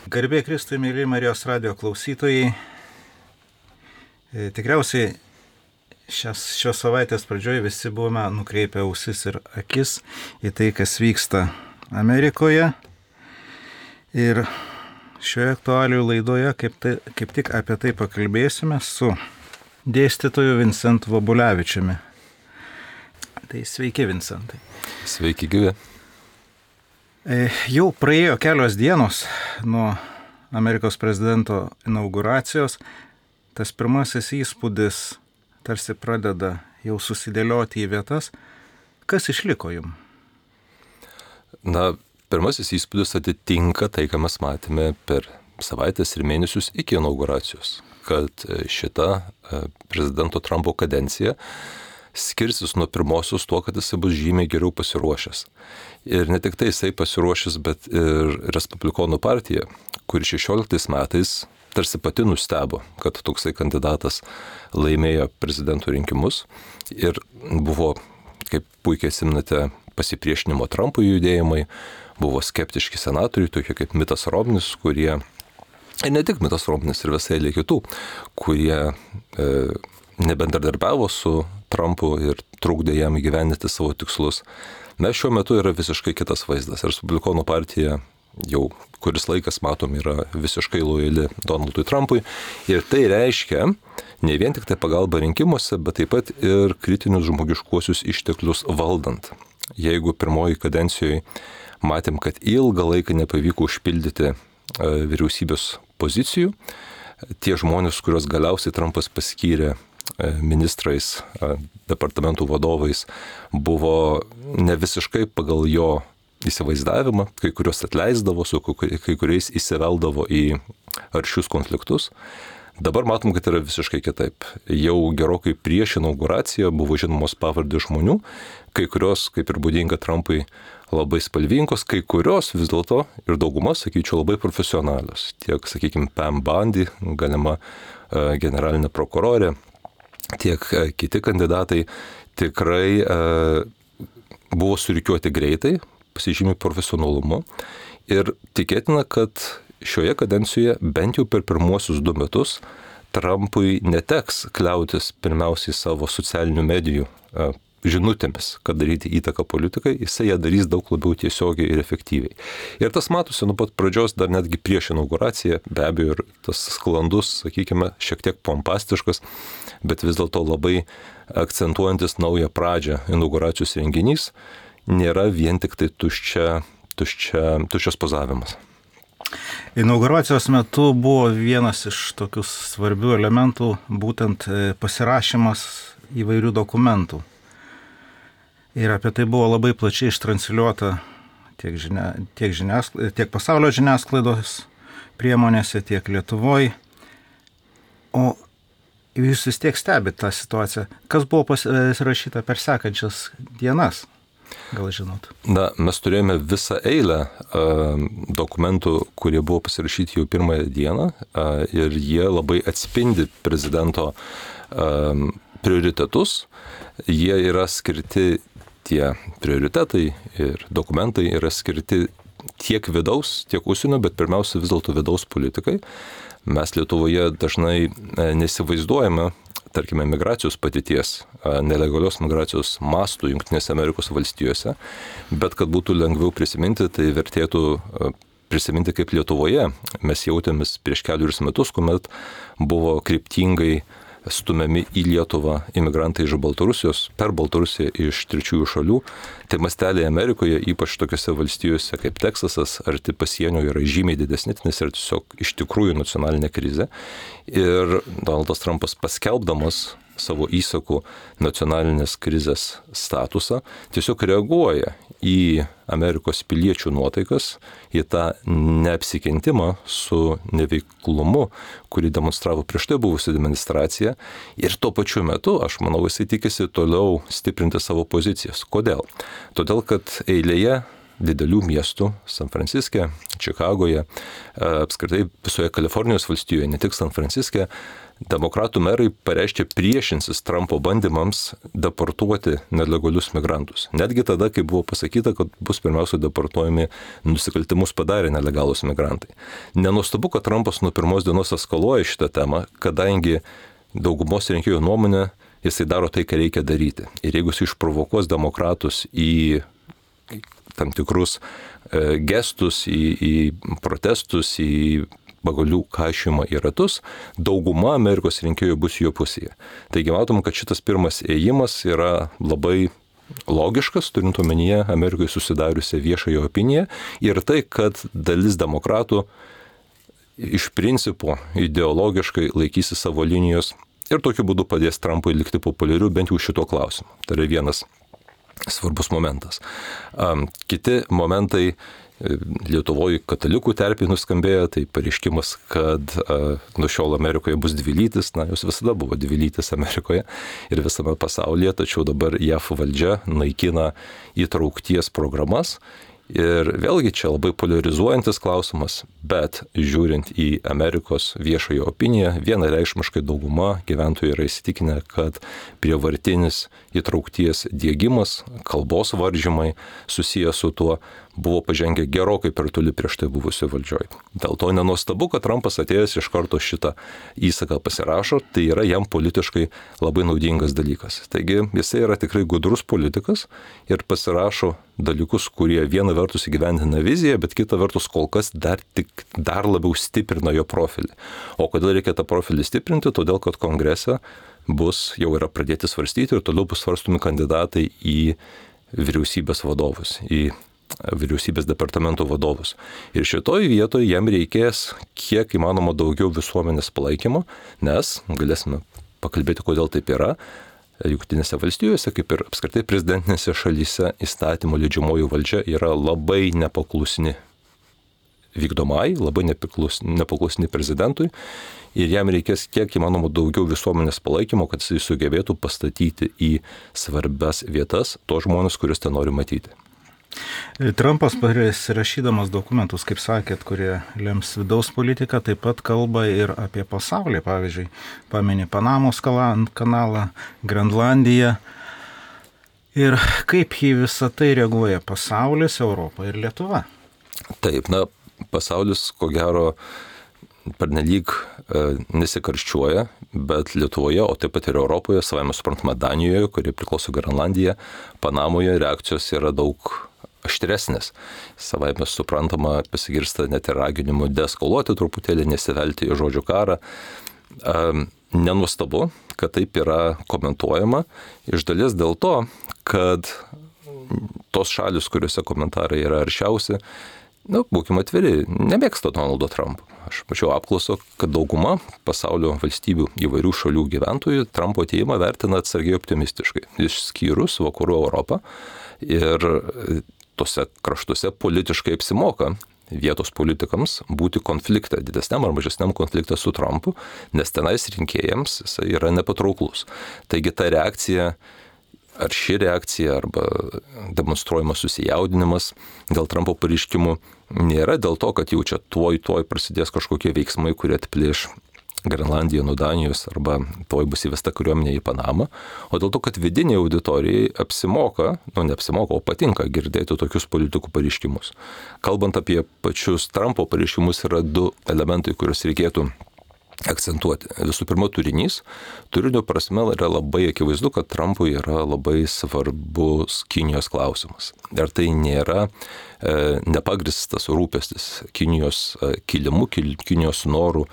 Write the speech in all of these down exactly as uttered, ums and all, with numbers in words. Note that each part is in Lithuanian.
Garbė Kristui, mėly Marijos radijo klausytojai. Tikriausiai šios, šios savaitės pradžioje visi buvome nukreipę ausis ir akis į tai, kas vyksta Amerikoje. Ir šioje aktualijų laidoje kaip, tai, kaip tik apie tai pakalbėsime su dėstytoju Vincentu Vobulevičiumi. Tai sveiki, Vincentai. Sveiki, gyvi. Jau praėjo kelios dienos nuo Amerikos prezidento inauguracijos. Tas pirmasis įspūdis tarsi pradeda jau susidėlioti į vietas. Kas išliko jum? Na, pirmasis įspūdis atitinka tai, ką mes matėme per savaitės ir mėnesius iki inauguracijos, kad šita prezidento Trumpo kadencija skirsis nuo pirmosios tuo, kad jisai bus žymiai geriau pasiruošęs. Ir ne tik tai jisai pasiruošęs, bet ir Respublikonų partija, kuri šešioliktais metais tarsi pati nustebo, kad toksai kandidatas laimėjo prezidento rinkimus ir buvo, kaip puikiai atsimenate, pasipriešinimo Trumpui judėjimai, buvo skeptiški senatoriai, tokie kaip Mittas Romnis, kurie, ir ne tik Mittas Romnis, ir visai eilė kitų, kurie e, nebendradarbiavo su Trumpu ir trukdė jam įgyvendinti savo tikslus. Mes šiuo metu yra visiškai kitas vaizdas. Respublikonų partija jau kuris laikas, matom, yra visiškai lojali Donaldui Trumpui. Ir tai reiškia ne vien tik tai pagalba rinkimuose, bet taip pat ir kritinius žmogiškuosius išteklius valdant. Jeigu pirmoji kadencijoje matėm, kad ilgą laiką nepavyko užpildyti vyriausybės pozicijų, tie žmonės, kuriuos galiausiai Trumpas paskyrė ministrais, departamentų vadovais, buvo ne visiškai pagal jo įsivaizdavimą, kai kurios atleisdavo, su kai kuriais įsiveldavo į aršius konfliktus. Dabar matom, kad yra visiškai kitaip. Jau gerokai prieš inauguraciją buvo žinomos pavardės žmonių, kai kurios, kaip ir būdinga Trumpui, labai spalvingos, kai kurios vis dėlto ir dauguma, sakyčiau, labai profesionalios. Tiek, sakykime, Pam Bondi, galima generalinė prokurorė, tiek kiti kandidatai tikrai e, buvo surikiuoti greitai, pasižymi profesionalumu ir tikėtina, kad šioje kadencijoje bent jau per pirmuosius du metus Trumpui neteks kliautis pirmiausiai savo socialinių medijų e, žinutėmis, kad daryti įtaką politikai, jisai ją darys daug labiau tiesiogiai ir efektyviai. Ir tas matosi nuo pat pradžios, dar netgi prieš inauguraciją, be abejo, ir tas sklandus, sakykime, šiek tiek pompastiškas, bet vis dėlto labai akcentuojantis naują pradžią inauguracijos renginys, nėra vien tik tai tuščia, tuščia, tuščias pozavimas. Inauguracijos metu buvo vienas iš tokių svarbių elementų, būtent pasirašymas įvairių dokumentų. Ir apie tai buvo labai plačiai ištransliuota tiek, žinia, tiek, žiniasklaid, tiek pasaulio žiniasklaidos priemonėse, tiek Lietuvoje. O jūs vis tiek stebite tą situaciją. Kas buvo pasirašyta per sekančias dienas? Gal žinot? Na, mes turėjome visą eilę uh, dokumentų, kurie buvo pasirašyti jau pirmąją dieną uh, ir jie labai atspindi prezidento uh, prioritetus. Jie yra skirti, tie prioritetai ir dokumentai yra skirti tiek vidaus, tiek užsienio, bet pirmiausia vis dėlto vidaus politikai. Mes Lietuvoje dažnai nesivaizduojame, tarkime, migracijos patirties, nelegalios migracijos mastų Jungtinėse Amerikos valstijose, bet kad būtų lengviau prisiminti, tai vertėtų prisiminti, kaip Lietuvoje mes jautėmės prieš kelius metus, kuomet buvo kryptingai stumiami į Lietuvą imigrantai iš Baltarusijos, per Baltarusiją iš trečiųjų šalių. Tai masteliai Amerikoje, ypač tokiose valstijose kaip Teksasas, arti pasienio yra žymiai didesni, nes yra tiesiog iš tikrųjų nacionalinė krizė. Ir Donaldas Trumpas paskelbdamas savo įsakų nacionalinės krizės statusą, tiesiog reaguoja į Amerikos piliečių nuotaikas, į tą neapsikentimą su neveiklumu, kurį demonstravo prieš tai buvusi administracija. Ir tuo pačiu metu, aš manau, jisai tikisi toliau stiprinti savo pozicijas. Kodėl? Todėl, kad eilėje didelių miestų, San Franciske, Čikagoje, apskritai visoje Kalifornijos valstijoje, ne tik San Franciske, demokratų merai pareiškė priešinsis Trumpo bandymams deportuoti nelegalius migrantus. Netgi tada, kai buvo pasakyta, kad bus pirmiausia deportuojami nusikaltimus padarę nelegalūs migrantai. Nenuostabu, kad Trumpas nuo pirmos dienos eskaluoja šitą temą, kadangi daugumos rinkėjų nuomonė jisai daro tai, ką reikia daryti. Ir jeigu jis išprovokuos demokratus į tam tikrus e, gestus, į, į protestus, į pagalių kašymą į ratus, dauguma Amerikos rinkėjų bus jo pusėje. Taigi matom, kad šitas pirmas ėjimas yra labai logiškas, turint omenyje Amerikoje susidariusią viešąją opiniją ir tai, kad dalis demokratų iš principo ideologiškai laikysi savo linijos ir tokiu būdu padės Trumpui likti populiariu bent jau šito klausimu. Tai yra vienas svarbus momentas. Kiti momentai Lietuvoje katalikų terpėje nuskambėjo, tai pareiškimas, kad a, nuo šiol Amerikoje bus dvilytis, na, jos visada buvo dvilytis Amerikoje ir visame pasaulyje, tačiau dabar J A V valdžia naikina įtraukties programas. Ir vėlgi čia labai polarizuojantis klausimas, bet žiūrint į Amerikos viešąją opiniją, vienareikšmiškai dauguma gyventojų yra įsitikinę, kad prievartinis įtraukties diegimas, kalbos varžymai susijęs su tuo buvo pažengę gerokai per toli prieš tai buvusioj valdžioj. Dėl to nenuostabu, kad Trumpas atėjęs iš karto šitą įsaką pasirašo, tai yra jam politiškai labai naudingas dalykas. Taigi jisai yra tikrai gudrus politikas ir pasirašo dalykus, kurie viena vertus įgyvendina viziją, bet kita vertus kol kas dar, tik, dar labiau stiprina jo profilį. O kodėl reikia tą profilį stiprinti? Todėl, kad kongrese bus, jau yra pradėti svarstyti ir toliau bus svarstomi kandidatai į vyriausybės vadovus, į vyriausybės departamento vadovus. Ir šitoj vietoje jam reikės kiek įmanoma daugiau visuomenės palaikymo, nes galėsime pakalbėti, kodėl taip yra. Jungtinėse valstijose, kaip ir apskritai prezidentinėse šalyse, įstatymų leidžiamoji valdžia yra labai nepaklusni vykdomai, labai nepaklusni, nepaklusni prezidentui ir jam reikės kiek įmanoma daugiau visuomenės palaikymo, kad jis sugebėtų pastatyti į svarbias vietas tos žmonės, kuris ten nori matyti. Trumpas pasirašydamas dokumentus, kaip sakėt, kurie lems vidaus politiką, taip pat kalba ir apie pasaulį. Pavyzdžiui, pamini Panamos kanalą, Grenlandiją. Ir kaip į visą tai reaguoja pasaulis, Europa ir Lietuva? Taip, na, pasaulis, ko gero, pernelyg e, nesikarščiuoja, bet Lietuvoje, o taip pat ir Europoje, savame suprantama Danijoje, kuri priklauso Grenlandija, Panamoje reakcijos yra daug aštresnės. Savaime suprantama, pasigirsta net ir raginimų deeskaluoti truputėlį, nesivelti į žodžių karą. E, nenuostabu, kad taip yra komentuojama, iš dalies dėl to, kad tos šalis, kuriuose komentarai yra aršiausi, na, būkime atviri, nemėgsta Donaldo Trumpo. Aš mačiau apklauso, kad dauguma pasaulio valstybių įvairių šalių gyventojų Trumpo atėjimą vertina atsargiai optimistiškai, išskyrus Vakarų Europą. Ir tose kraštuose politiškai apsimoka vietos politikams būti konflikte, didesniam ar mažesniam konflikte su Trumpu, nes tenais rinkėjams jisai yra nepatrauklus. Taigi ta reakcija, ar ši reakcija, arba demonstruojamas susijaudinimas dėl Trumpo pareiškimų nėra dėl to, kad jau čia tuoj tuoj prasidės kažkokie veiksmai, kurie atplėš Grenlandiją nuo Danijos arba tuoj bus įvesta kariuomenė į Panamą, o dėl to, kad vidiniai auditorijai apsimoka, nu neapsimoka, o patinka girdėti tokius politikų pareiškimus. Kalbant apie pačius Trumpo pareiškimus, yra du elementai, kuriuos reikėtų akcentuoti. Visų pirma, turinys. Turinio prasme yra labai akivaizdu, kad Trumpui yra labai svarbus Kinijos klausimas. Ir tai nėra e, nepagristas rūpestis Kinijos e, kilimu, Kinijos noru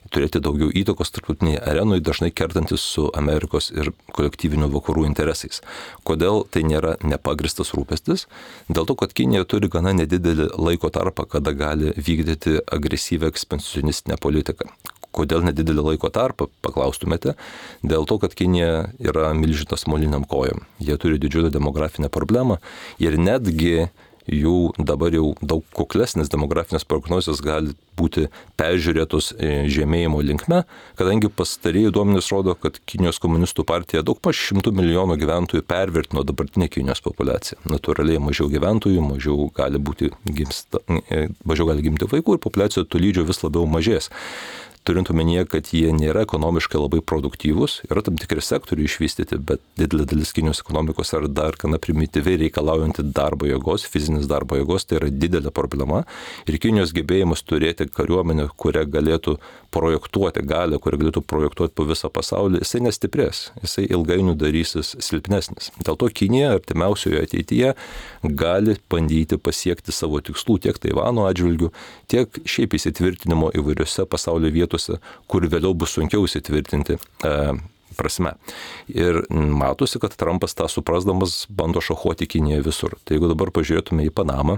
turėti daugiau įtakos tarptautiniai arenui, dažnai kertantis su Amerikos ir kolektyvinių vakarų interesais. Kodėl tai nėra nepagristas rūpestis? Dėl to, kad Kinija turi gana nedidelį laiko tarpą, kada gali vykdyti agresyvę ekspansionistinę politiką. Kodėl nedidelį laiko tarpą, paklaustumėte? Dėl to, kad Kinija yra milžinas moliniam kojom. Jie turi didžiulę demografinę problemą ir netgi jų dabar jau daug kuklesnės demografinės prognozijos gali būti peržiūrėtos žemėjimo linkme, kadangi pastarėjai duomenys rodo, kad Kinijos komunistų partija daug paž šimtų milijonų gyventojų pervertino dabartinę Kinijos populiaciją. Natūraliai mažiau gyventojų, mažiau gali, būti gimsta, mažiau gali gimti vaikų ir populiacijos tolydžio vis labiau mažės. Turint omenyje, kad jie nėra ekonomiškai labai produktyvūs, yra tam tikri sektoriai išvystyti, bet didelė dalis Kinijos ekonomikos yra dar gana primityviai reikalaujanti darbo jėgos, fizinis darbo jėgos, tai yra didelė problema. Ir Kinijos gebėjimas turėti kariuomenę, kurią galėtų projektuoti galę, kurią galėtų projektuoti po visą pasaulį, jisai nestiprės, jisai ilgainiui darysis silpnesnis. Dėl to Kinija artimiausioje ateityje gali bandyti pasiekti savo tikslų tiek Taivano atžvilgių, tiek šiaip įsitvirtinimo įvairiose pasaulio vietose, kur vėliau bus sunkiau įsitvirtinti e, prasme. Ir matosi, kad Trumpas tą suprasdamas bando šachuoti Kiniją visur. Tai jeigu dabar pažiūrėtume į Panamą,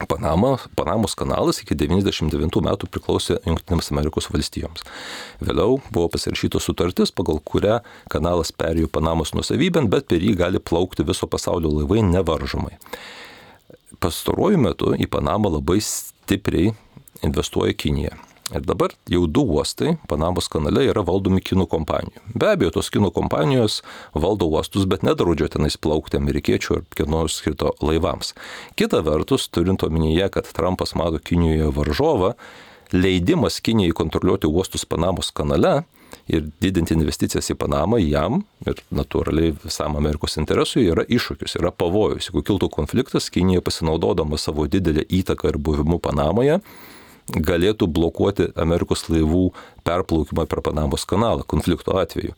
Panama, Panamos kanalas iki devyniasdešimt devintų metų priklausė Jungtinėms Amerikos valstijoms. Vėliau buvo pasirašyta sutartis, pagal kurią kanalas perėjo Panamos nuosavybėn, bet per jį gali plaukti viso pasaulio laivai nevaržomai. Pastaruoju metu į Panamą labai stipriai investuoja Kinija. Ir dabar jau du uostai Panamos kanale yra valdomi kinų kompanijų. Be abejo, tos kinų kompanijos valdo uostus, bet nedraudžia tenais plaukti amerikiečių ar kieno skirto laivams. Kita vertus, turint omenyje, kad Trumpas mato Kinijoje varžovą, leidimas Kinijai kontroliuoti uostus Panamos kanale ir didinti investicijas į Panamą jam ir natūraliai visam Amerikos interesui yra iššūkis, yra pavojus. Jeigu kiltų konfliktas, Kinija pasinaudodama savo didelę įtaką ir buvimu Panamoje, galėtų blokuoti Amerikos laivų perplaukimą per Panamos kanalą konflikto atveju.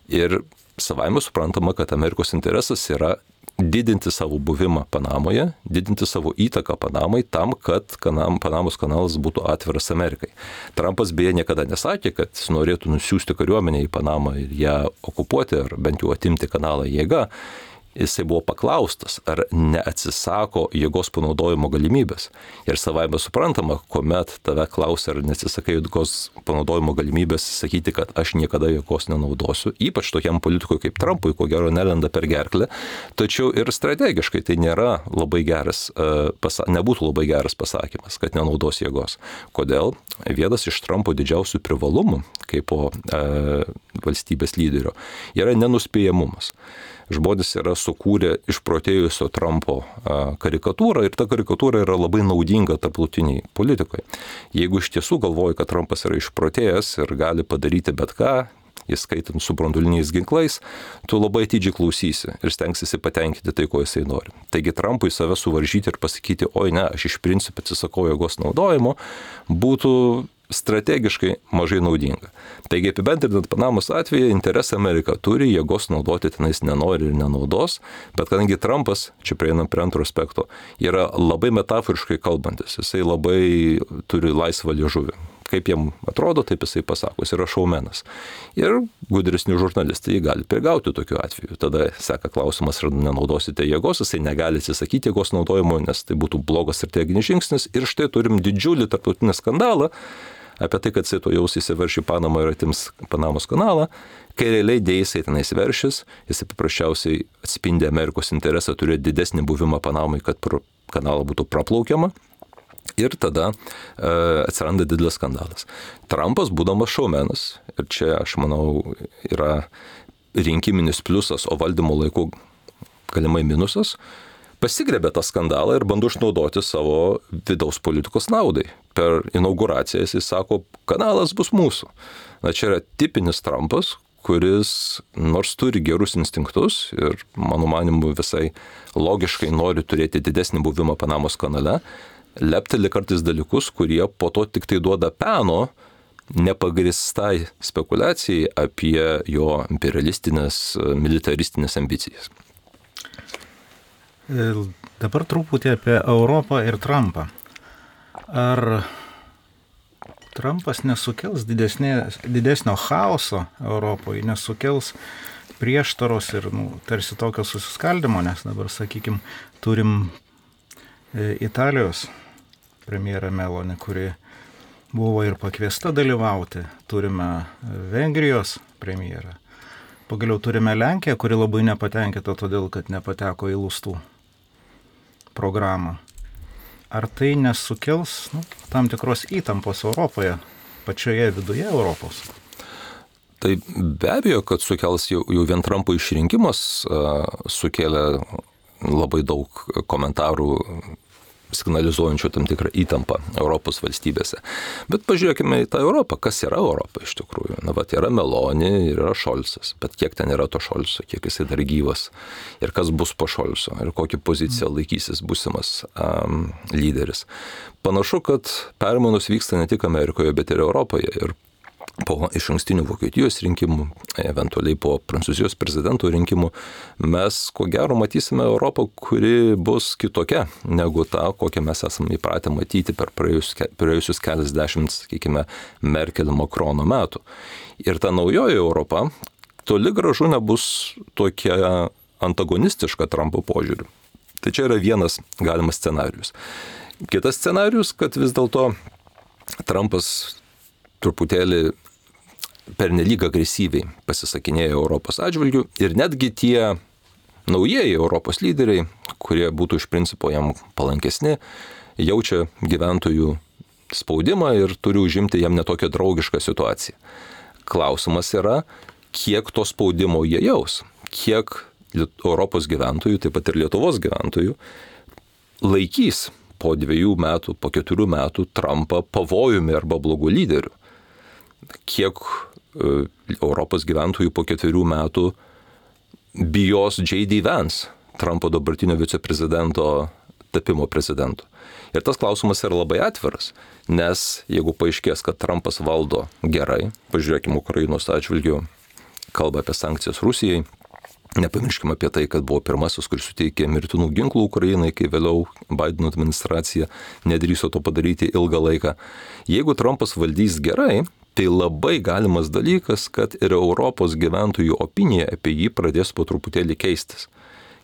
Ir savaime suprantama, kad Amerikos interesas yra didinti savo buvimą Panamoje, didinti savo įtaką Panamai tam, kad kanam, Panamos kanalas būtų atviras Amerikai. Trumpas beje niekada nesakė, kad jis norėtų nusiųsti kariuomenę į Panamą ir ją okupuoti ar bent jau atimti kanalą jėga. Jisai buvo paklaustas, ar neatsisako jėgos panaudojimo galimybės. Ir savaime suprantama, kuomet tave klausia, ar neatsisakai jėgos panaudojimo galimybės, sakyti, kad aš niekada jėgos nenaudosiu, ypač tokiam politikui kaip Trumpui, ko gero nelenda per gerklę, tačiau ir strategiškai tai nėra labai geras, nebūtų labai geras pasakymas, kad nenaudos jėgos. Kodėl? Vienas iš Trumpo didžiausių privalumų, kaip po e, valstybės lyderio, yra nenuspėjamumas. Žmonės yra sukūrę išprotėjusio Trumpo karikatūrą ir ta karikatūra yra labai naudinga tarptautiniai politikoje. Jeigu iš tiesų galvoji, kad Trumpas yra išprotėjęs ir gali padaryti bet ką, įskaitant su branduoliniais ginklais, tu labai atidžiai klausysi ir stengsiesi patenkinti tai, ko jisai nori. Taigi Trumpui save suvaržyti ir pasakyti, oi ne, aš iš principo atsisakau jėgos naudojimo, būtų strategiškai mažai naudinga. Taigi apibendrinant Panamos atveju, interesą Amerika turi, jėgos naudoti tenais nenori ir nenaudos, bet kadangi Trumpas, čia prieinam prie antro aspekto, yra labai metaforiškai kalbantis, jisai labai turi laisvą liežuvį. Kaip jam atrodo, taip jisai pasako, jis yra šaumenas. Ir gudresni žurnalistai jį gali prigauti tokiu atveju. Tada seka klausimas, ar nenaudosite jėgos, jisai negali atsisakyti jėgos naudojimo, nes tai būtų blogas strateginis žingsnis. Ir štai turim didžiulį tarptautinį skandalą apie tai, kad jisai to jaus įsiverš į Panamą ir atims Panamos kanalą, kai realiai dėja jisai tenais veršis, jisai paprasčiausiai atspindi Amerikos interesą turėti didesnį buvimą Panamai, kad pro kanalą būtų praplaukiama. Ir tada e, atsiranda didelis skandalas. Trumpas, būdamas šaumenas, ir čia, aš manau, yra rinkiminis pliusas, o valdymo laiku galimai minusas, pasigrebė tą skandalą ir bando išnaudoti savo vidaus politikos naudai. Per inauguraciją jis sako, kanalas bus mūsų. Na, čia yra tipinis Trumpas, kuris nors turi gerus instinktus ir, mano manimu, visai logiškai nori turėti didesnį buvimą Panamos kanale, lepteli kartais dalykus, kurie po to tik tai duoda peno nepagristai spekulacijai apie jo imperialistinės, militaristinės ambicijas. Dabar truputį apie Europą ir Trumpą. Ar Trumpas nesukels didesnė, didesnio chaoso Europoje, nesukels prieštaros ir nu, tarsi tokio susiskaldimo, nes dabar, sakykime, turim Italijos premjerą Meloni, kuri buvo ir pakviesta dalyvauti, turime Vengrijos premjerą, pagaliau turime Lenkiją, kuri labai nepatenkinta todėl, kad nepateko į lustų programą. Ar tai nesukels nu, tam tikros įtampos Europoje, pačioje viduje Europos? Tai be abejo, kad sukels jau, jau vien Trumpo išrinkimas uh, sukėlė labai daug komentarų signalizuojančių tam tikrą įtampą Europos valstybėse. Bet pažiūrėkime į tą Europą. Kas yra Europa iš tikrųjų? Na, vat yra Meloni ir yra Šolcas. Bet kiek ten yra to Šolco, kiek jisai dar gyvas? Ir kas bus po Šolco? Ir kokią poziciją laikysis būsimas um, lyderis? Panašu, kad permainos vyksta ne tik Amerikoje, bet ir Europoje. Ir po išankstinių Vokietijos rinkimų, eventualiai po Prancūzijos prezidento rinkimų, mes ko gero matysime Europą, kuri bus kitokia negu ta, kokią mes esame įpratę matyti per praėjusius, praėjusius keliasdešimt, sakykime, Merkel-Makrono metų. Ir ta naujoji Europa toli gražu nebus tokia antagonistiška Trumpo požiūriu. Tai čia yra vienas galimas scenarius. Kitas scenarius, kad vis dėlto Trumpas truputėlį pernelyg agresyviai pasisakinėja Europos atžvilgių ir netgi tie naujieji Europos lyderiai, kurie būtų iš principo jam palankesni, jaučia gyventojų spaudimą ir turi užimti jam netokią draugišką situaciją. Klausimas yra, kiek to spaudimo jie jaus, kiek Europos gyventojų, taip pat ir Lietuvos gyventojų, laikys po dviejų metų, po keturių metų Trumpą pavojumi arba blogų lyderių. Kiek Europos gyventojų po ketverių metų bijos J D Vance, Trumpo dabartinio viceprezidento tapimo prezidentu. Ir tas klausimas yra labai atviras, nes jeigu paaiškės, kad Trumpas valdo gerai, pažiūrėkime Ukrainos atžvilgiu, kalba apie sankcijas Rusijai, nepamirškime apie tai, kad buvo pirmasis, kuris suteikė mirtinų ginklų Ukrainai, kai vėliau Bideno administracija nedrįso to padaryti ilgą laiką. Jeigu Trumpas valdys gerai, tai labai galimas dalykas, kad ir Europos gyventojų opinija apie jį pradės po truputėlį keistis.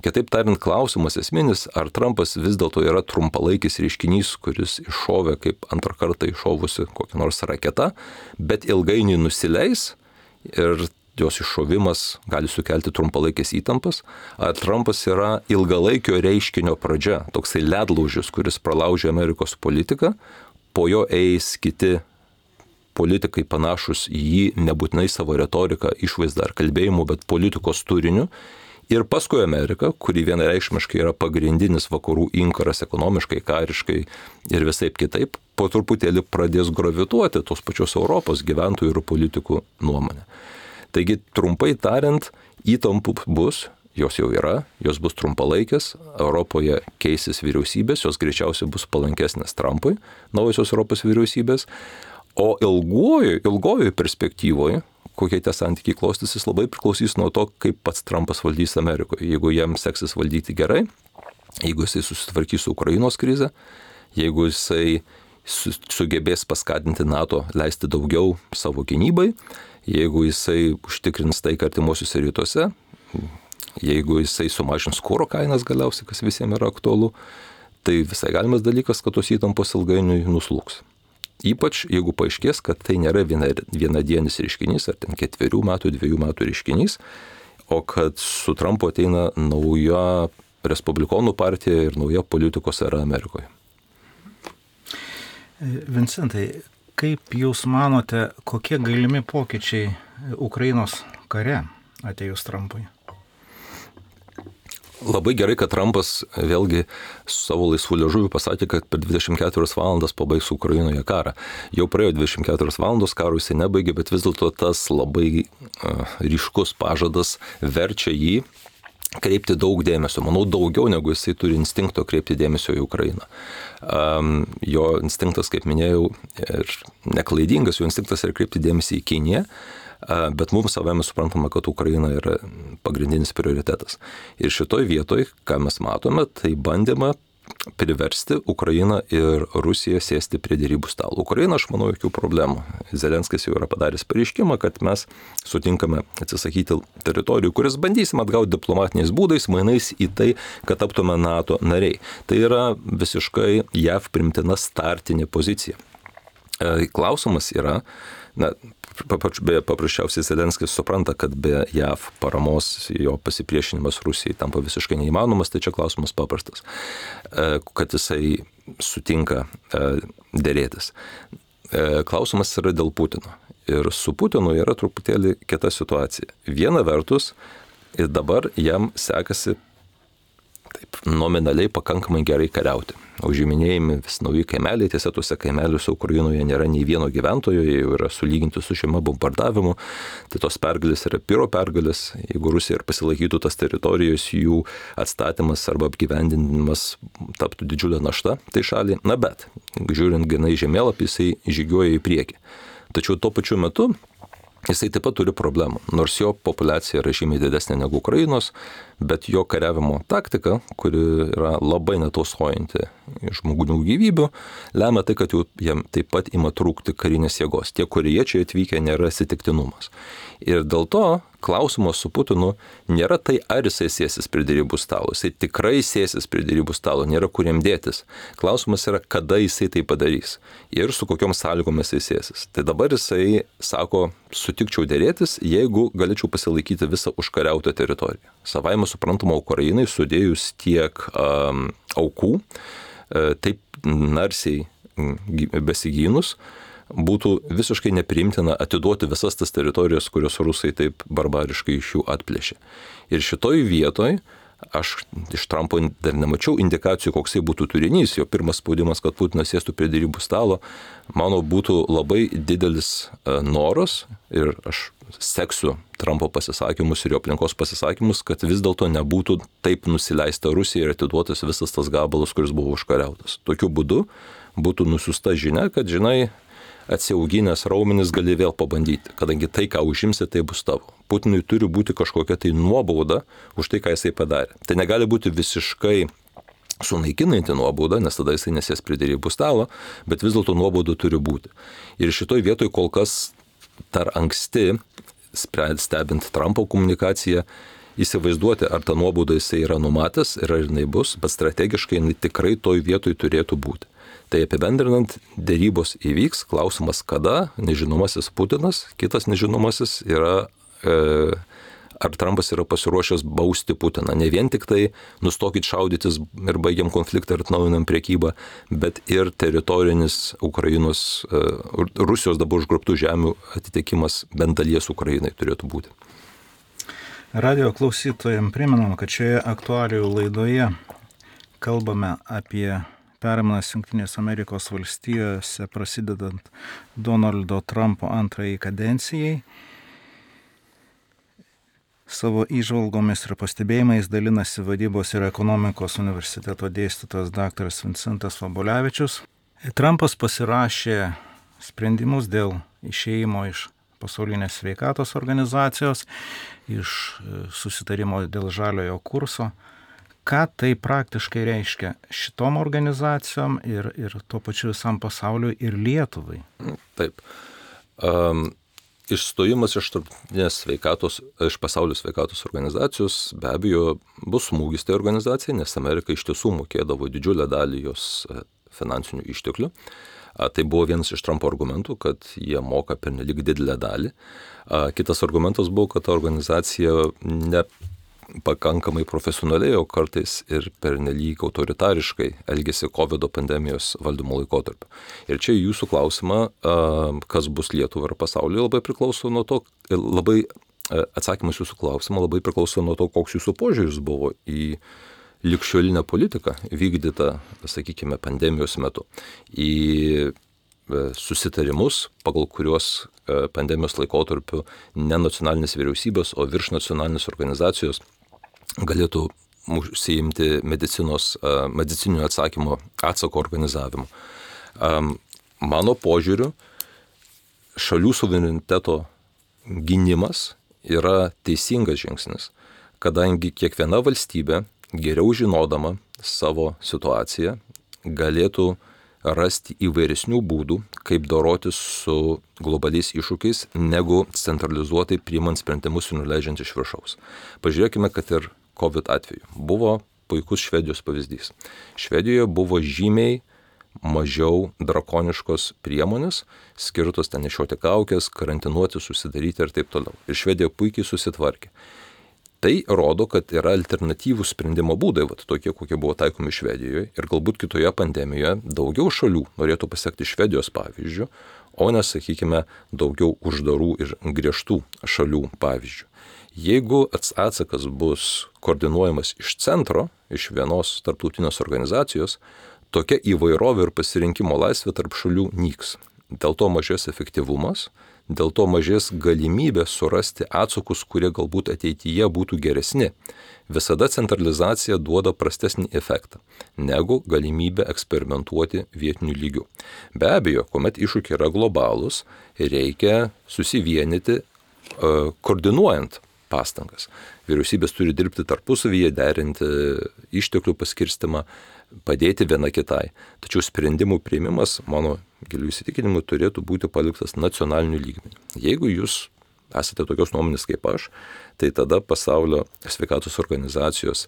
Kitaip tariant, klausimas esminis, ar Trumpas vis dėlto yra trumpalaikis reiškinys, kuris iššovė kaip antrą kartą iššovusi kokią nors raketą, bet ilgainiui nusileis ir jos iššovimas gali sukelti trumpalaikės įtampas, ar Trumpas yra ilgalaikio reiškinio pradžia, toksai ledlaužis, kuris pralaužė Amerikos politiką, po jo eis kiti politikai panašus į jį, nebūtinai savo retoriką, išvaizdą ar kalbėjimu, bet politikos turiniu. Ir paskui Amerika, kuri vienareikšmiškai yra pagrindinis vakarų inkaras ekonomiškai, kariškai ir visaip kitaip, po truputėlį pradės gravituoti tos pačios Europos gyventojų ir politikų nuomonę. Taigi, trumpai tariant, įtampų bus, jos jau yra, jos bus trumpalaikės, Europoje keisis vyriausybės, jos greičiausiai bus palankesnės Trumpui, naujosios Europos vyriausybės. O ilgojo, ilgojo perspektyvoje, kokie tie santykiai klostysis, labai priklausys nuo to, kaip pats Trumpas valdys Amerikoje. Jeigu jam seksis valdyti gerai, jeigu jisai susitvarkys su Ukrainos krize, jeigu jisai sugebės paskatinti NATO leisti daugiau savo gynybai, jeigu jisai užtikrins taiką artimuosiuose rytuose, jeigu jisai sumažins kuro kainas galiausiai, kas visiems yra aktualu, tai visai galimas dalykas, kad tos įtampos ilgainiui nuslūgs. Ypač jeigu paaiškės, kad tai nėra viena, vienadienis reiškinys, ar ten ketverių metų, dviejų metų reiškinys, o kad su Trumpu ateina nauja Respublikonų partija ir nauja politikos era Amerikoje. Vincentai, kaip jūs manote, kokie galimi pokyčiai Ukrainos kare atėjus Trumpui? Labai gerai, kad Trumpas vėlgi su savo laisvų liežuvių pasakė, kad per dvidešimt keturias valandas pabaigs Ukrainoje karą. Jau praėjo dvidešimt keturios valandos, karo jisai nebaigė, bet vis dėlto tas labai uh, ryškus pažadas verčia jį kreipti daug dėmesio. Manau, daugiau negu jisai turi instinkto kreipti dėmesio į Ukrainą. Um, jo instinktas, kaip minėjau, ir neklaidingas, jo instinktas yra kreipti dėmesį į Kiniją. Bet mums savame suprantama, kad Ukraina yra pagrindinis prioritetas. Ir šitoj vietoj, ką mes matome, tai bandėme priversti Ukrainą ir Rusiją sėsti prie dėrybų stalo. Ukraina, aš manau, jokių problemų. Zelenskis jau yra padaręs pareiškimą, kad mes sutinkame atsisakyti teritorijų, kuris bandysim atgauti diplomatiniais būdais, mainais į tai, kad taptume NATO nariai. Tai yra visiškai J A V primtina startinė pozicija. Klausimas yra, na, beje, paprasčiausiai Zelenskis supranta, kad be J A V paramos jo pasipriešinimas Rusijai tampa visiškai neįmanomas, tai čia klausimas paprastas, kad jisai sutinka dėrėtis. Klausimas yra dėl Putino. Ir su Putinu yra truputėlį kita situacija. Viena vertus, ir dabar jam sekasi taip nominaliai pakankamai gerai kariauti. Užiminėjami vis nauji kaimeliai, tiesa, tuose kaimeliuose Ukrainoje nėra nei vieno gyventojo, jie jau yra sulyginti su šiame bombardavimu, tai tos pergalės yra piro pergalės, jeigu Rusija ir pasilaikytų tas teritorijos, jų atstatymas arba apgyvendinimas taptų didžiulė našta tai šaliai, na bet, žiūrint gana į žemėlapį, jisai žygiuoja į priekį. Tačiau tuo pačiu metu jisai taip pat turi problemų, nors jo populiacija yra žymiai didesnė negu Ukrainos, bet jo kariavimo taktika, kuri yra labai netausojanti žmonių gyvybių, lemia tai, kad jam taip pat ima trūkti karinės jėgos. Tie, kurie čia atvykę, nėra atsitiktinumas. Ir dėl to klausimas su Putinu nėra tai, ar jisai sėsis prie dėrybų stalo. Jisai tikrai sėsis prie dėrybų stalo, nėra kur jam dėtis. Klausimas yra, kada jisai tai padarys ir su kokiom sąlygomis jisai sėsis. Tai dabar jisai sako, sutikčiau dėrėtis, jeigu galėčiau pasilaikyti visą užkariautą teritoriją. Savaime suprantama, Ukrainai sudėjus tiek um, aukų, uh, taip narsiai besigynus, būtų visiškai nepriimtina atiduoti visas tas teritorijas, kurios rusai taip barbariškai iš jų atplėšė. Ir šitoj vietoj aš iš Trumpo dar nemačiau indikacijų, koksai būtų turinys. Jo pirmas spaudimas, kad Putinas sėstų prie dėrybų stalo, mano būtų labai didelis noras, ir aš seksiu Trumpo pasisakymus ir jo aplinkos pasisakymus, kad vis dėlto nebūtų taip nusileista Rusija ir atiduotas visas tas gabalas, kuris buvo užkariautas. Tokiu būdu būtų nusiusta žinia, kad, žinai, atsiauginęs raumenis gali vėl pabandyti, kadangi tai, ką užimsi, tai bus tavo. Putinui turi būti kažkokia tai nuobauda už tai, ką jisai padarė. Tai negali būti visiškai sunaikinanti nuobauda, nes tada jisai nesės prie dėrybų stalo, bet vis dėlto nuobauda turi būti. Ir šitoj vietoj kol kas dar anksti, stebint Trumpo komunikaciją, įsivaizduoti, ar ta nuobauda jisai yra numatęs ir ar jinai bus, bet strategiškai jinai tikrai toj vietoj turėtų būti. Tai apibendrinant, dėrybos įvyks, klausimas kada, nežinomasis Putinas, kitas nežinomasis yra, e, ar Trumpas yra pasiruošęs bausti Putiną. Ne vien tik tai nustokit šaudytis ir baigiam konfliktą ir atnaujinam priekybą, bet ir teritorinis Ukrainos, e, Rusijos dabar užgrobtų žemių atitekimas bent dalies Ukrainai turėtų būti. Radio klausytojams primenam, kad šioje aktualijų laidoje kalbame apie permainas Jungtinės Amerikos valstijose prasidedant Donaldo Trumpo antrajai kadencijai. Savo įžvalgomis ir pastebėjimais dalinasi Vadybos ir ekonomikos universiteto dėstytojas daktaras Vincentas Vabulevičius. Trumpas pasirašė sprendimus dėl išėjimo iš pasaulinės sveikatos organizacijos, iš susitarimo dėl žaliojo kurso. Ką tai praktiškai reiškia šitom organizacijom ir, ir tuo pačiu visam pasauliu ir Lietuvai? Taip. Um, išstojimas iš tarptautinės sveikatos, iš pasaulio sveikatos organizacijos be abejo bus smūgis tai organizacijai, nes Amerika iš tiesų mokėdavo didžiulę dalį jos finansinių išteklių. Tai buvo vienas iš Trumpo argumentų, kad jie moka pernelyg didelę dalį. Kitas argumentas buvo, kad ta organizacija ne pakankamai profesionaliai, o kartais ir pernelyg autoritariškai elgėsi COVID pandemijos valdymo laikotarpiu. Ir čia jūsų klausimą, kas bus Lietuvai ir pasaulyje, labai priklauso nuo to, labai atsakymas jūsų klausimą labai priklauso nuo to, koks jūsų požiūris buvo į ligšiolinę politiką vykdytą, sakykime, pandemijos metu. Į susitarimus, pagal kuriuos pandemijos laikotarpiu ne nacionalinės vyriausybės, o virš nacionalinės organizacijos galėtų užsiimti medicinos, medicininių atsakymo, atsako organizavimu. Mano požiūriu, šalių suvereniteto gynimas yra teisingas žingsnis, kadangi kiekviena valstybė, geriau žinodama savo situaciją, galėtų rasti įvairesnių būdų, kaip dorotis su globaliais iššūkiais, negu centralizuotai priimant sprendimus ir nuleidžiant iš viršaus. Pažiūrėkime, kad ir COVID atveju buvo puikus Švedijos pavyzdys. Švedijoje buvo žymiai mažiau drakoniškos priemonės, skirtos ten nešioti kaukės, karantinuoti, susidaryti ir taip toliau. Ir Švedija puikiai susitvarkė. Tai rodo, kad yra alternatyvų sprendimo būdai, vat, tokie, kokie buvo taikomi Švedijoje, ir galbūt kitoje pandemijoje daugiau šalių norėtų pasiekti Švedijos pavyzdžių, o ne, sakykime, daugiau uždarų ir griežtų šalių pavyzdžių. Jeigu atsakas bus koordinuojamas iš centro, iš vienos tarptautinės organizacijos, tokia įvairovė ir pasirinkimo laisvė tarp šalių nyks. Dėl to mažės efektyvumas, dėl to mažės galimybė surasti atsakus, kurie galbūt ateityje būtų geresni. Visada centralizacija duoda prastesnį efektą negu galimybė eksperimentuoti vietiniu lygiu. Be abejo, kuomet iššūkiai yra globalūs, reikia susivienyti, koordinuojant pastangas. Vyriausybės turi dirbti tarpusavyje, derinti išteklių paskirstimą, padėti viena kitai. Tačiau sprendimų priėmimas, mano gilių įsitikinimu, turėtų būti paliktas nacionaliniu lygmeniu. Jeigu jūs esate tokios nuomonės kaip aš, tai tada pasaulio sveikatos organizacijos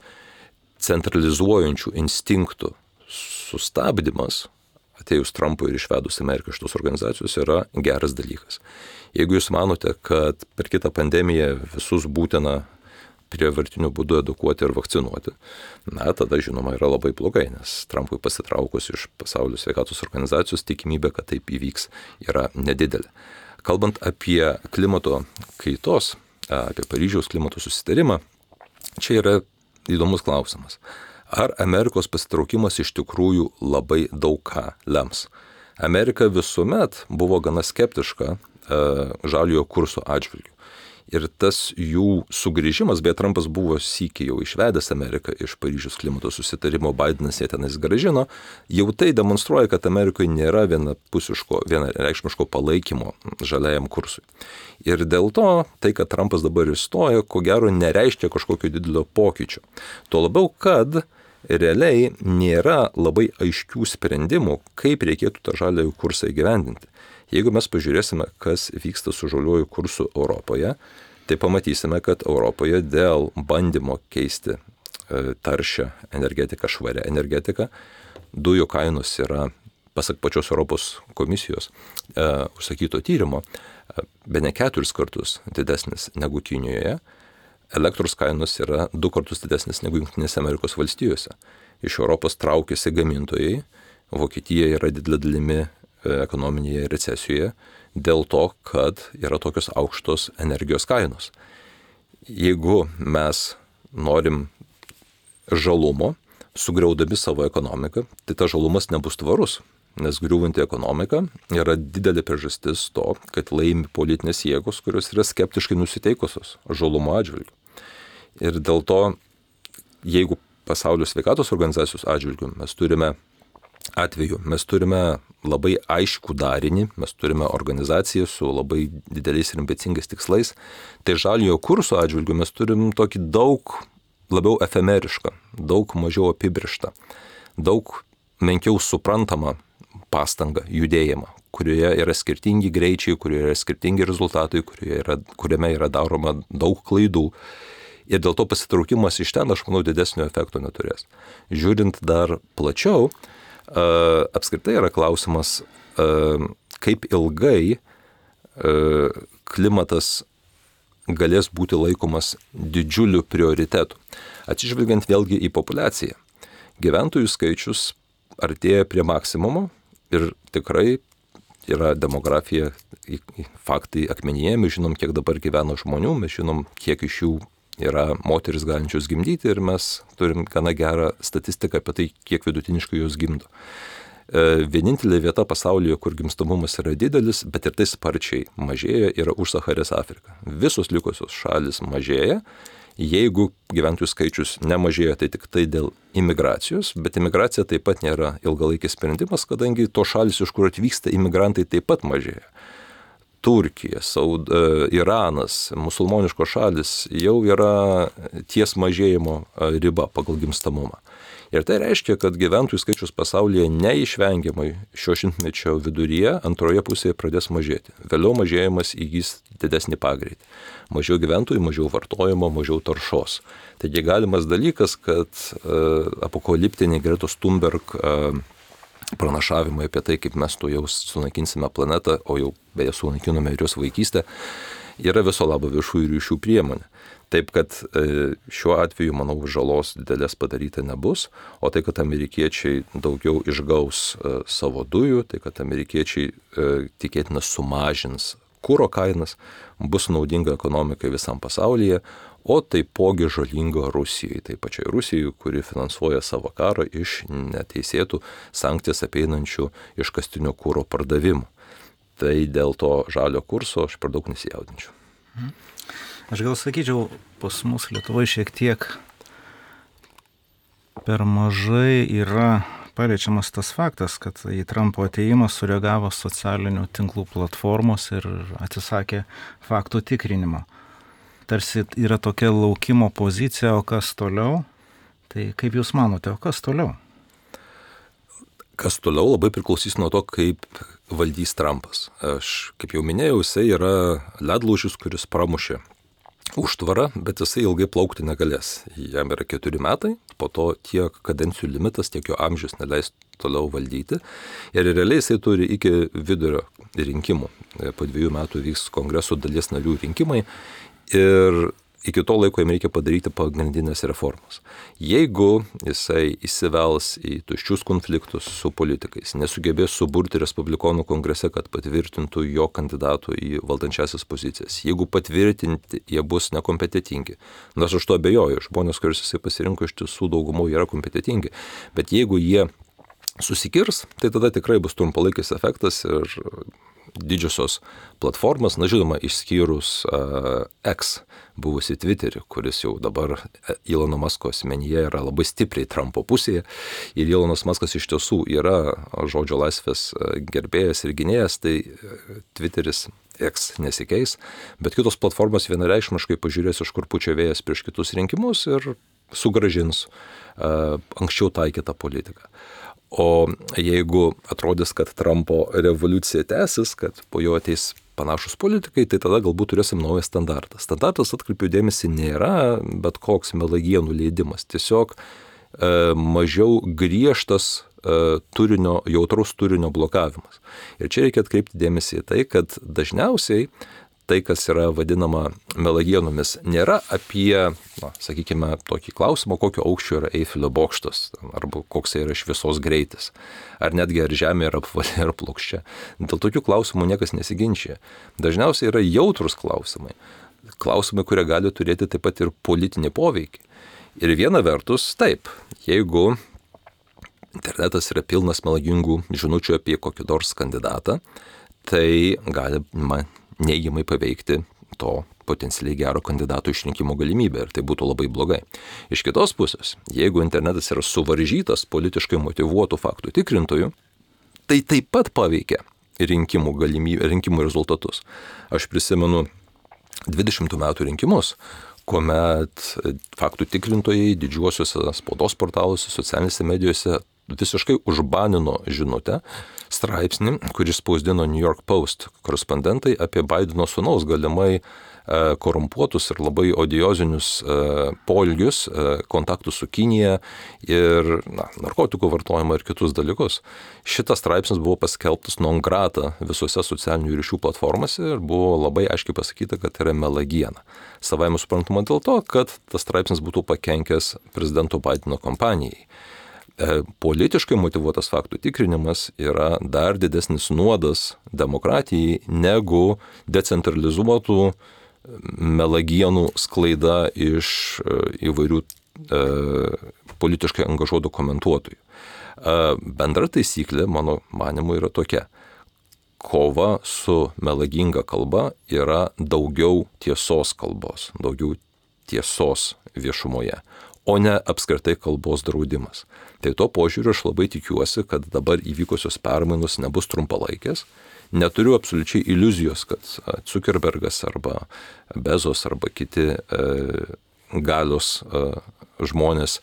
centralizuojančių instinktų sustabdymas, atėjus Trumpui ir išvedus Ameriką iš tos organizacijos, yra geras dalykas. Jeigu jūs manote, kad per kitą pandemiją visus būtina prievartiniu būdu edukuoti ir vakcinuoti, na, tada, žinoma, yra labai blogai, nes Trumpui pasitraukus iš pasaulio sveikatos organizacijos tikimybė, kad taip įvyks, yra nedidelė. Kalbant apie klimato kaitos, apie Paryžiaus klimato susitarimą, čia yra įdomus klausimas. Ar Amerikos pasitraukimas iš tikrųjų labai daug ką lems? Amerika visuomet buvo gana skeptiška e, žaliojo kurso atžvilgiu. Ir tas jų sugrįžimas, beje, Trumpas buvo sykį jau išvedęs Ameriką iš Paryžiaus klimato susitarimo, Bidenas jie tenais grąžino, jau tai demonstruoja, kad Amerikoje nėra vienapusiško, vienareikšmiško palaikymo žaliajam kursui. Ir dėl to, tai, kad Trumpas dabar įstojo, ko gero nereiškia kažkokio didelio pokyčio. Tuo labiau, kad realiai nėra labai aiškių sprendimų, kaip reikėtų tą žaliąjį kursą įgyvendinti. Jeigu mes pažiūrėsime, kas vyksta su žaliuoju kursu Europoje, tai pamatysime, kad Europoje dėl bandymo keisti taršią energetiką, švarią energetiką, dujų kainos yra, pasak pačios Europos komisijos e, užsakyto tyrimo, e, bene keturis kartus didesnis negu Kinijoje, elektros kainos yra du kartus didesnis negu Jungtinėse Amerikos valstijose. Iš Europos traukiasi gamintojai, Vokietija yra didelė dalimi ekonominėje recesijoje dėl to, kad yra tokios aukštos energijos kainos. Jeigu mes norim žalumo, sugriaudami savo ekonomiką, tai tas žalumas nebus tvarus, nes griūvanti ekonomika yra didelė priežastis to, kad laimi politinės jėgos, kurios yra skeptiškai nusiteikusios žalumo atžvilgiu. Ir dėl to, jeigu pasaulio sveikatos organizacijos atžvilgiu mes turime atveju, mes turime labai aiškų darinį, mes turime organizaciją su labai dideliais ir ambicingais tikslais, tai žaliojo kurso atžvilgiu mes turim tokį daug labiau efemerišką, daug mažiau apibrėžtą, daug menkiau suprantamą pastangą, judėjimą, kurioje yra skirtingi greičiai, kurioje yra skirtingi rezultatai, kurioje yra, kuriame yra daroma daug klaidų. Ir dėl to pasitraukimas iš ten, aš manau, didesnio efekto neturės. Žiūrint dar plačiau, Uh, apskritai yra klausimas, uh, kaip ilgai uh, klimatas galės būti laikomas didžiuliu prioritetu. Atsižvelgiant vėlgi į populiaciją. Gyventojų skaičius artėja prie maksimumo ir tikrai yra demografija, faktai akmenyje, mes žinom, kiek dabar gyvena žmonių, mes žinom, kiek iš jų yra moteris galinčios gimdyti ir mes turim gana gerą statistiką apie tai, kiek vidutiniškai jos gimdo. Vienintelė vieta pasaulyje, kur gimstamumas yra didelis, bet ir tai sparčiai mažėja, yra užsacharės Afrika. Visos likusios šalis mažėja. Jeigu gyventojų skaičius nemažėja, tai tik tai dėl imigracijos, bet imigracija taip pat nėra ilgalaikis sprendimas, kadangi to šalis, iš kur atvyksta imigrantai, taip pat mažėja. Turkija, Saud, Iranas, musulmoniškos šalis jau yra ties mažėjimo riba pagal gimstamumą. Ir tai reiškia, kad gyventojų skaičius pasaulyje neišvengiamai šio šimtmečio viduryje antroje pusėje pradės mažėti. Vėliau mažėjimas įgys didesnį pagreitį. Mažiau gyventojų, mažiau vartojimo, mažiau taršos. Taigi galimas dalykas, kad uh, apokaliptiniai Gretos Thunberg uh, pranašavimai apie tai, kaip mes to jau sunaikinsime planetą, o jau beje sunaikinome ir jos vaikystę, yra viso labo viešųjų ryšių priemonė. Taip, kad šiuo atveju, manau, žalos didelės padaryta nebus, o tai, kad amerikiečiai daugiau išgaus savo dujų, tai, kad amerikiečiai tikėtina sumažins kuro kainas, bus naudinga ekonomikai visam pasaulyje, o taipogi žalinga Rusijai, tai pačiai Rusijai, kuri finansuoja savo karą iš neteisėtų sankcijas apeinančių iškastinio kuro pardavimų. Tai dėl to žalio kurso aš per daug nesijaudinčiau. Aš gal sakyčiau, pas mus Lietuvoje šiek tiek per mažai yra paliečiamas tas faktas, kad į Trumpo ateimą sureagavo socialinių tinklų platformos ir atsisakė faktų tikrinimo. Tarsi yra tokia laukimo pozicija, o kas toliau? Tai kaip Jūs manote, o kas toliau? Kas toliau labai priklausys nuo to, kaip valdys Trumpas. Aš, kaip jau minėjau, jisai yra ledlaužis, kuris pramušė užtvarą, bet jisai ilgai plaukti negalės. Jam yra keturi metai, po to tiek kadencijų limitas, tiek jo amžius neleis toliau valdyti. Ir realiai jisai turi iki vidurio rinkimų. Po dviejų metų vyks kongreso dalies narių rinkimai ir iki to laiko jam reikia padaryti pagrindinės reformas. Jeigu jisai įsivels į tuščius konfliktus su politikais, nesugebės suburti respublikonų kongrese, kad patvirtintų jo kandidatų į valdančiasias pozicijas, jeigu patvirtinti jie bus nekompetentingi, nors aš to abejoju, žmonės, kuriuos jisai pasirinko, iš tiesų daugumų yra kompetentingi, bet jeigu jie susikirs, tai tada tikrai bus trumpalaikis efektas ir didžiosios platformos, na žinoma, išskyrus uh, X buvusi Twitterį, kuris jau dabar Elono Musko asmenyje yra labai stipriai Trumpo pusėje. Ir Elonas Muskas iš tiesų yra žodžio laisvės gerbėjas ir gynėjas, tai Twitteris X nesikeis, bet kitos platformos vienareikšmiškai pažiūrės, iš kur pučia vėjas prieš kitus rinkimus ir sugrąžins uh, anksčiau taikytą politiką. O jeigu atrodys, kad Trumpo revoliucija tęsis, kad po jo ateis panašus politikai, tai tada galbūt turėsim naują standartą. Standartas, atkreipiu dėmesį, nėra bet koks melagienų leidimas, tiesiog e, mažiau griežtas e, turinio, jautraus turinio blokavimas. Ir čia reikia atkreipti dėmesį į tai, kad dažniausiai tai, kas yra vadinama melagienomis, nėra apie, na, sakykime, tokį klausimą, kokio aukščio yra Eifelio bokštas, arba koks yra šviesos greitis, ar netgi ar žemė yra apvali ar plokščia. Dėl tokių klausimų niekas nesiginčia. Dažniausiai yra jautrus klausimai. Klausimai, kurie gali turėti taip pat ir politinį poveikį. Ir viena vertus, taip, jeigu internetas yra pilnas melagingų žinučių apie kokį nors kandidatą, tai galima neigiamai paveikti to potencialiai gero kandidato išrinkimo galimybę ir tai būtų labai blogai. Iš kitos pusės, jeigu internetas yra suvaržytas politiškai motyvuotų faktų tikrintojų, tai taip pat paveikia rinkimų galimybę, rinkimų rezultatus. Aš prisimenu dvidešimtų metų rinkimus, kuomet faktų tikrintojai didžiuosiuose spaudos portaluose, socialinėse medijose visiškai užbanino žinutę, straipsnį, kuris spausdino New York Post korespondentai apie Baideno sūnaus galimai e, korumpuotus ir labai odiozinius e, poelgius, e, kontaktus su Kinija ir na, narkotikų vartojimą ir kitus dalykus. Šitas straipsnis buvo paskelbtas non grata visose socialinių ryšių platformose ir buvo labai aiškiai pasakyta, kad yra melagiena. Savaime suprantama dėl to, kad tas straipsnis būtų pakenkęs prezidento Baideno kampanijai. Politiškai motyvuotas faktų tikrinimas yra dar didesnis nuodas demokratijai negu decentralizuotų melagienų sklaida iš įvairių e, politiškai angažuotų komentuotojų. E, bendra taisyklė, mano manimu, yra tokia. Kova su melaginga kalba yra daugiau tiesos kalbos, daugiau tiesos viešumoje, o ne apskritai kalbos draudimas. Tai to požiūriu aš labai tikiuosi, kad dabar įvykusios permainos nebus trumpalaikės. Neturiu absoliučiai iliuzijos, kad Zuckerbergas arba Bezos arba kiti e, galios e, žmonės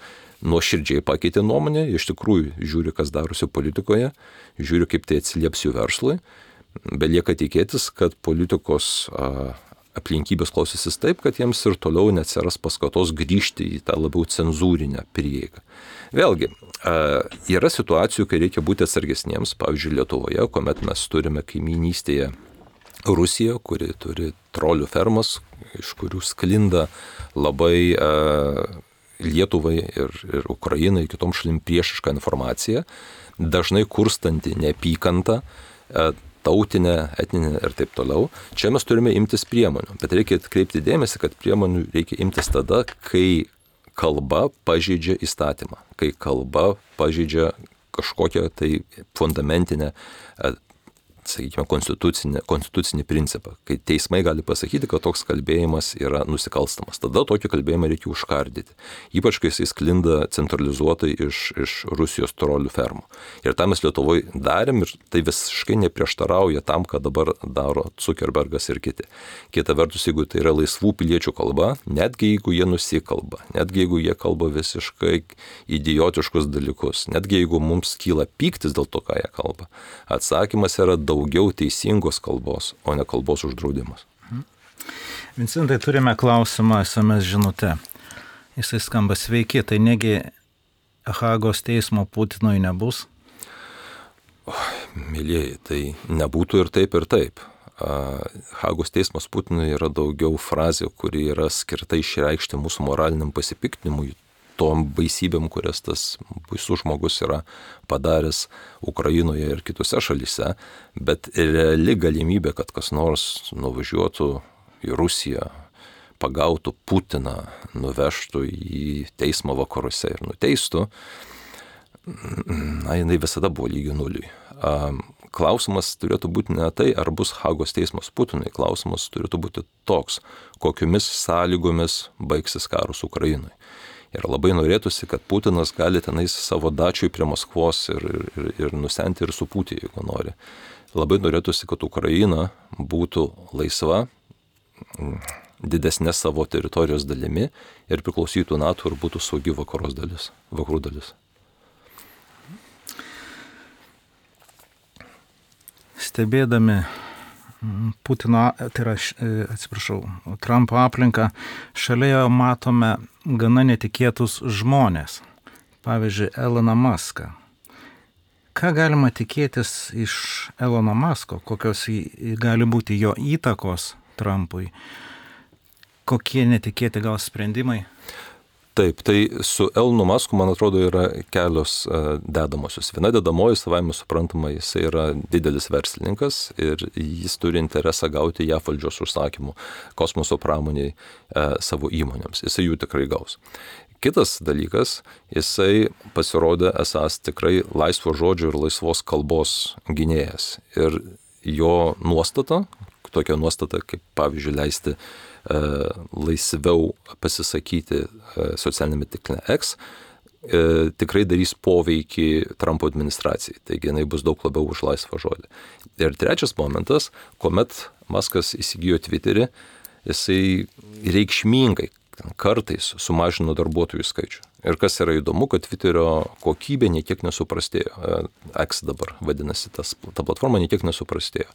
nuoširdžiai pakeitė nuomonę, iš tikrųjų žiūri, kas darosi politikoje, žiūri, kaip tai atsilieps jų verslui. Belieka tikėtis, kad politikos a, aplinkybės klausysis taip, kad jiems ir toliau neatsiras paskatos grįžti į tą labiau cenzūrinę prieigą. Vėlgi, yra situacijų, kai reikia būti atsargesniems, pavyzdžiui, Lietuvoje, kuomet mes turime kaimynystėje Rusiją, kuri turi trolių fermas, iš kurių sklinda labai Lietuvai ir, ir Ukrainai, kitom šalim priešišką informaciją, dažnai kurstanti neapykantą, tautinę, etninę ir taip toliau. Čia mes turime imtis priemonių, bet reikia atkreipti dėmesį, kad priemonių reikia imtis tada, kai kalba pažeidžia įstatymą, kai kalba pažeidžia kažkokią tai fundamentinę, sakykime, konstitucinį, konstitucinį principą, kai teismai gali pasakyti, kad toks kalbėjimas yra nusikalstamas. Tada tokį kalbėjimą reikia užkardyti. Ypač, kai jis sklinda centralizuotai iš, iš Rusijos trolių fermų. Ir tą mes Lietuvoje darėm ir tai visiškai neprieštarauja tam, ką dabar daro Zuckerbergas ir kiti. Kita vertus, jeigu tai yra laisvų piliečių kalba, netgi jeigu jie nusikalba, netgi jeigu jie kalba visiškai idiotiškus dalykus, netgi jeigu mums kyla pyktis dėl to, ką jie kalba, atsakymas yra daug daugiau teisingos kalbos, o ne kalbos uždraudimas. Vincentai, turime klausimą es em es žinute. Jisai skamba: sveiki, tai negi Hagos teismo Putinui nebus? O, mėlyjeji, tai nebūtų ir taip, ir taip. Hagos teismas Putinui yra daugiau frazė, kuri yra skirta išreikšti mūsų moraliniam pasipiktinimui, tom baisybėm, kurias tas baisus žmogus yra padaręs Ukrainoje ir kitose šalyse, bet reali galimybė, kad kas nors nuvažiuotų į Rusiją, pagautų Putiną, nuvežtų į teismą vakaruose ir nuteistų, na, jinai visada buvo lygi nuliui. Klausimas turėtų būti ne tai, ar bus Hagos teismas Putinui, klausimas turėtų būti toks, kokiomis sąlygomis baigsis karas Ukrainoje. Ir labai norėtųsi, kad Putinas gali tenais savo dačiui prie Maskvos ir, ir, ir nusenti ir supūti, jeigu nori. Labai norėtųsi, kad Ukraina būtų laisva, didesnė savo teritorijos dalimi ir priklausytų NATO ir būtų saugi vakaros dalis, vakarų dalis. Stebėdami Putino, tai yra, atsiprašau, Trumpo aplinką, šalia jo matome gana netikėtus žmonės. Pavyzdžiui, Eloną Muską. Ką galima tikėtis iš Elono Musko? Kokios gali būti jo įtakos Trumpui? Kokie netikėti gal sprendimai? Taip, tai su Elonu Musku, man atrodo, yra kelios uh, dedamosios. Viena dedamoji, savaime suprantama, jis yra didelis verslininkas ir jis turi interesą gauti J A V valdžios užsakymų kosmoso pramoniai uh, savo įmonėms. Jisai jų tikrai gaus. Kitas dalykas, jisai pasirodė esas tikrai laisvo žodžio ir laisvos kalbos gynėjas. Ir jo nuostata, tokia nuostata, kaip pavyzdžiui leisti laisviau pasisakyti socialinėme tinkle X, tikrai darys poveikį Trumpo administracijai. Taigi jinai bus daug labiau už laisvą žodį. Ir trečias momentas, kuomet Muskas įsigijo Twitterį, jisai reikšmingai kartais sumažino darbuotojų skaičių. Ir kas yra įdomu, kad Twitterio kokybė niekiek nesuprastėjo. X dabar vadinasi, tas, ta platforma niekiek nesuprastėjo.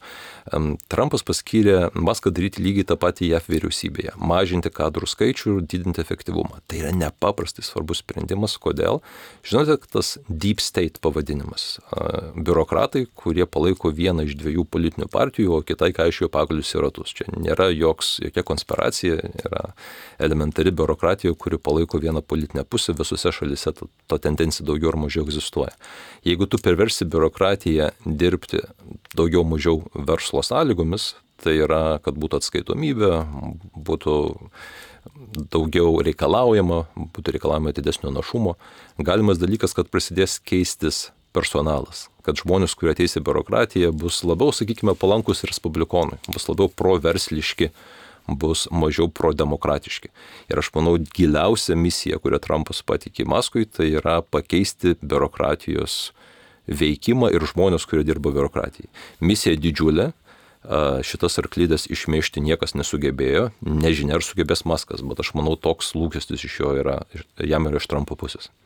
Trumpas paskyrė Muską daryti lygiai tą patį J A V vyriausybėje. Mažinti kadrų skaičių ir didinti efektyvumą. Tai yra nepaprastai svarbus sprendimas. Kodėl? Žinote, tas deep state pavadinimas. Biurokratai, kurie palaiko vieną iš dviejų politinių partijų, o kitai kaišioja pagalius į ratus. Čia nėra joks, jokia konspiracija, yra elementari biurokratija, kuri palaiko vieną politinę pusę. Visose šalyse ta, ta tendencija daugiau ar mažiau egzistuoja. Jeigu tu perversi biurokratiją dirbti daugiau mažiau verslo sąlygomis, tai yra, kad būtų atskaitomybė, būtų daugiau reikalaujama, būtų reikalaujama didesnio našumo, galimas dalykas, kad prasidės keistis personalas, kad žmonės, kurie ateis į biurokratiją, bus labiau, sakykime, palankus respublikonui, bus labiau proversliški, bus mažiau prodemokratiški. Ir aš manau, giliausia misija, kurią Trumpas patikė Muskui, tai yra pakeisti biurokratijos veikimą ir žmonės, kurie dirba biurokratijai. Misija didžiulė, šitas arklydės išmėžti niekas nesugebėjo, nežinia ar sugebės Muskas, bet aš manau, toks lūkestis iš jo yra, jam yra iš Trumpo pusės.